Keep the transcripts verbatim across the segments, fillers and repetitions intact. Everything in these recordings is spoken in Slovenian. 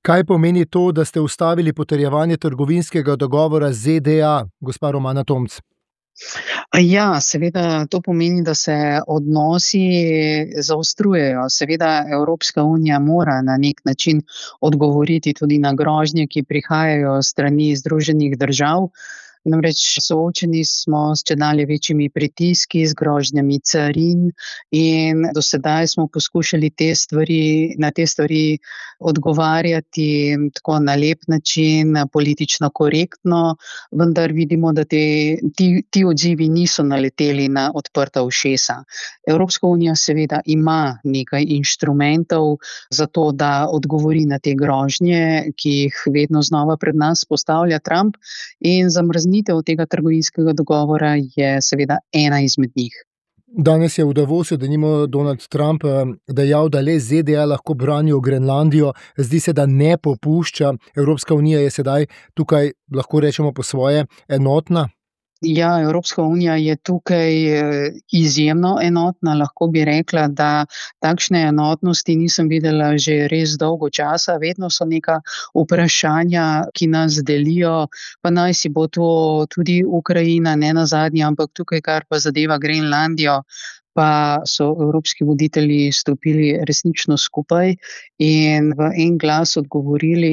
Kaj pomeni to, da ste ustavili potrjevanje trgovinskega dogovora z Z D A, gospa Romana Tomc? Ja, seveda to pomeni, da se odnosi zaostrujejo. Seveda Evropska unija mora na nek način odgovoriti tudi na grožnje, ki prihajajo s strani Združenih držav. Namreč soočeni smo s čedalje večjimi pritiski, z grožnjami carin in do sedaj smo poskušali te stvari, na te stvari odgovarjati tako na lep način, politično korektno, vendar vidimo, da te, ti, ti odzivi niso naleteli na odprta ušesa. Evropska unija seveda ima nekaj inštrumentov za to, da odgovori na te grožnje, ki jih vedno znova pred nas postavlja Trump, in zamrznitev tega trgovinskega dogovora je seveda ena izmed njih. Danes je v Davosu denimo Donald Trump dejal, da le Z D A lahko branijo Grenlandijo. Zdi se, da ne popušča. Evropska unija je sedaj tukaj, lahko rečemo po svoje, enotna. Ja, Evropska unija je tukaj izjemno enotna. Lahko bi rekla, da takšne enotnosti nisem videla že res dolgo časa. Vedno so neka vprašanja, ki nas delijo, pa naj si bo to tudi Ukrajina, ne nazadnje, ampak tukaj, kar pa zadeva Grenlandijo, pa so evropski voditelji stopili resnično skupaj in v en glas odgovorili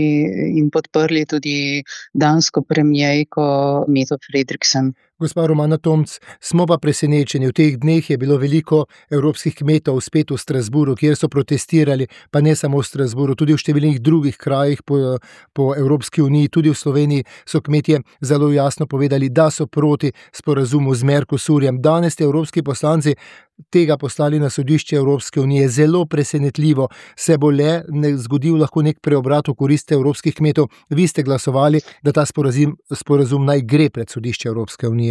in podprli tudi dansko premierko Mette Frederiksen. Gospa Romana Tomc, smo pa presenečeni. V teh dneh je bilo veliko evropskih kmetov spet v Strasbourgu, kjer so protestirali, pa ne samo v Strasbourgu, tudi v številnih drugih krajih po, po Evropski uniji, tudi v Sloveniji so kmetje zelo jasno povedali, da so proti sporazumu z Mercosurjem. Danes ste evropski poslanci tega poslali na sodišče Evropske unije. Zelo presenetljivo. Se bo le ne zgodil lahko nek preobrat v korist evropskih kmetov. Vi ste glasovali, da ta sporazum, sporazum naj gre pred sodišče Evropske unije.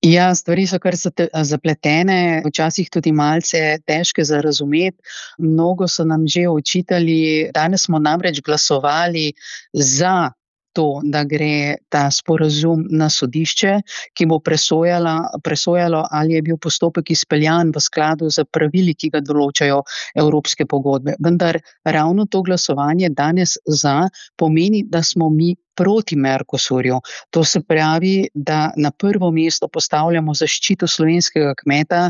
Ja, stvari so kar zapletene, včasih tudi malce težke za razumeti. Mnogo so nam že očitali, danes smo namreč glasovali za to, da gre ta sporazum na sodišče, ki bo presojala, presojalo, ali je bil postopek izpeljan v skladu z pravili, ki ga določajo evropske pogodbe. Vendar ravno to glasovanje danes za pomeni, da smo mi proti Mercosurju. To se pravi, da na prvo mesto postavljamo zaščito slovenskega kmeta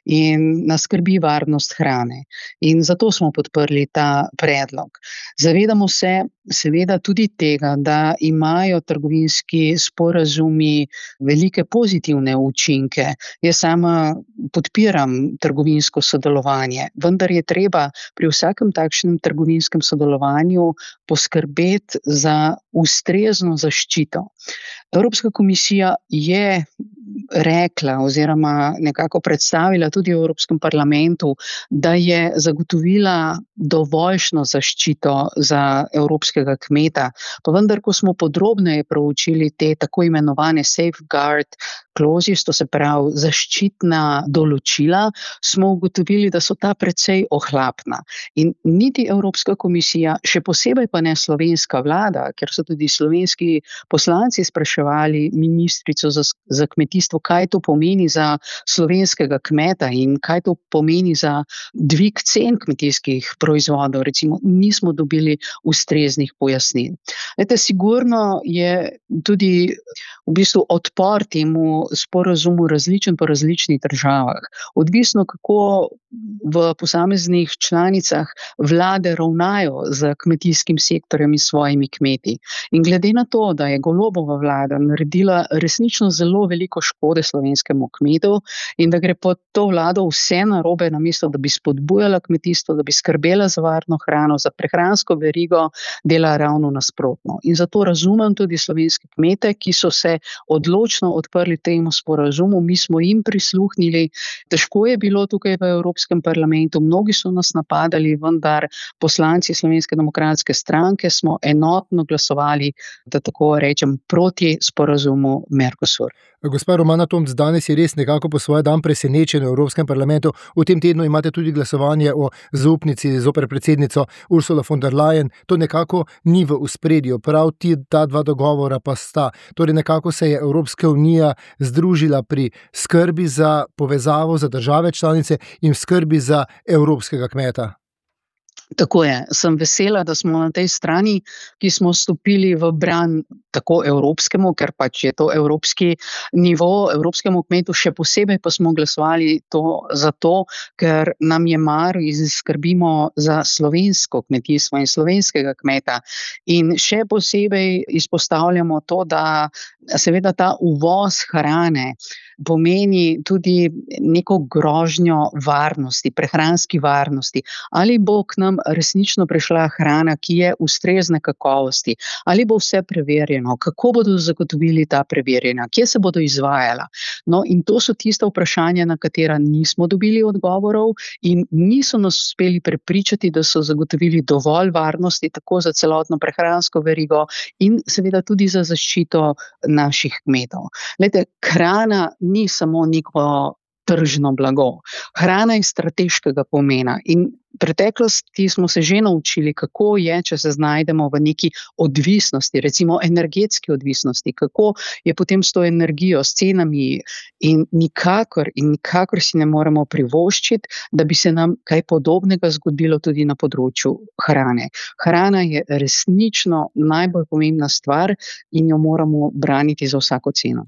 in nas skrbi varnost hrane. In zato smo podprli ta predlog. Zavedamo se seveda tudi tega, da imajo trgovinski sporazumi velike pozitivne učinke. Jaz sama podpiram trgovinsko sodelovanje, vendar je treba pri vsakem takšnem trgovinskem sodelovanju poskrbeti za ustrezno zaščito. Evropska komisija je rekla oziroma nekako predstavila tudi v Evropskem parlamentu, da je zagotovila dovoljšno zaščito za evropskega kmeta. Pa vendar, ko smo podrobneje proučili te tako imenovane safeguard clauses, to se pravi zaščitna določila, smo ugotovili, da so ta precej ohlapna. In niti Evropska komisija, še posebej pa ne slovenska vlada, ker so tudi slovenski poslanci spraševali ministrico za, za kmetijstvo, kaj to pomeni za slovenskega kmeta in kaj to pomeni za dvig cen kmetijskih proizvodov, recimo, nismo dobili ustreznih pojasnil. Ete, sigurno je tudi v bistvu odpor temu sporazumu različen po različnih državah. Odvisno, kako v posameznih članicah vlade ravnajo z kmetijskim sektorjem in svojimi kmeti. In glede na to, da je Golobova vlada naredila resnično zelo veliko škode slovenskemu kmetu in da gre pod to vlado vse narobe, namesto da bi spodbujala kmetijstvo, da bi skrbela za varno hrano, za prehransko verigo, dela ravno nasprotno. In zato razumem tudi slovenske kmete, ki so se odločno odprli temu sporazumu, mi smo jim prisluhnili. Težko je bilo tukaj v Evropskem parlamentu, mnogi so nas napadali, vendar poslanci Slovenske demokratske stranke smo enotno glasovali, da tako rečem, proti sporazumu Mercosur. Gospa Romana Tomc, danes je res nekako po svoj dan presenečen v Evropskem parlamentu. V tem tednu imate tudi glasovanje o zaupnici zoper predsednico Ursula von der Leyen. To nekako ni v ospredju, prav ti, ta dva dogovora pa sta. Torej nekako se je Evropska unija združila pri skrbi za povezavo za države članice in skrbi za evropskega kmeta. Tako je. Sem vesela, da smo na tej strani, ki smo stopili v bran tako evropskemu, ker pač je to evropski nivo, evropskemu kmetu, še posebej pa smo glasovali to zato, ker nam je mar in skrbimo za slovensko kmetijstvo in slovenskega kmeta. In še posebej izpostavljamo to, da seveda ta uvoz hrane pomeni tudi neko grožnjo varnosti, prehranski varnosti. Ali bo k nam resnično prišla hrana, ki je ustrezne kakovosti, ali bo vse preverjeno, kako bodo zagotovili ta preverjanja, kje se bodo izvajala. No, in to so tista vprašanja, na katera nismo dobili odgovorov in niso nas uspeli prepričati, da so zagotovili dovolj varnosti tako za celotno prehransko verigo in seveda tudi za zaščito naših kmetov. Glejte, hrana ni samo neko tržno blago. Hrana je strateškega pomena in v preteklosti smo se že naučili, kako je, če se znajdemo v neki odvisnosti, recimo energetski odvisnosti, kako je potem s to energijo, s cenami in nikakor in nikakor si ne moremo privoščiti, da bi se nam kaj podobnega zgodilo tudi na področju hrane. Hrana je resnično najbolj pomembna stvar in jo moramo braniti za vsako ceno.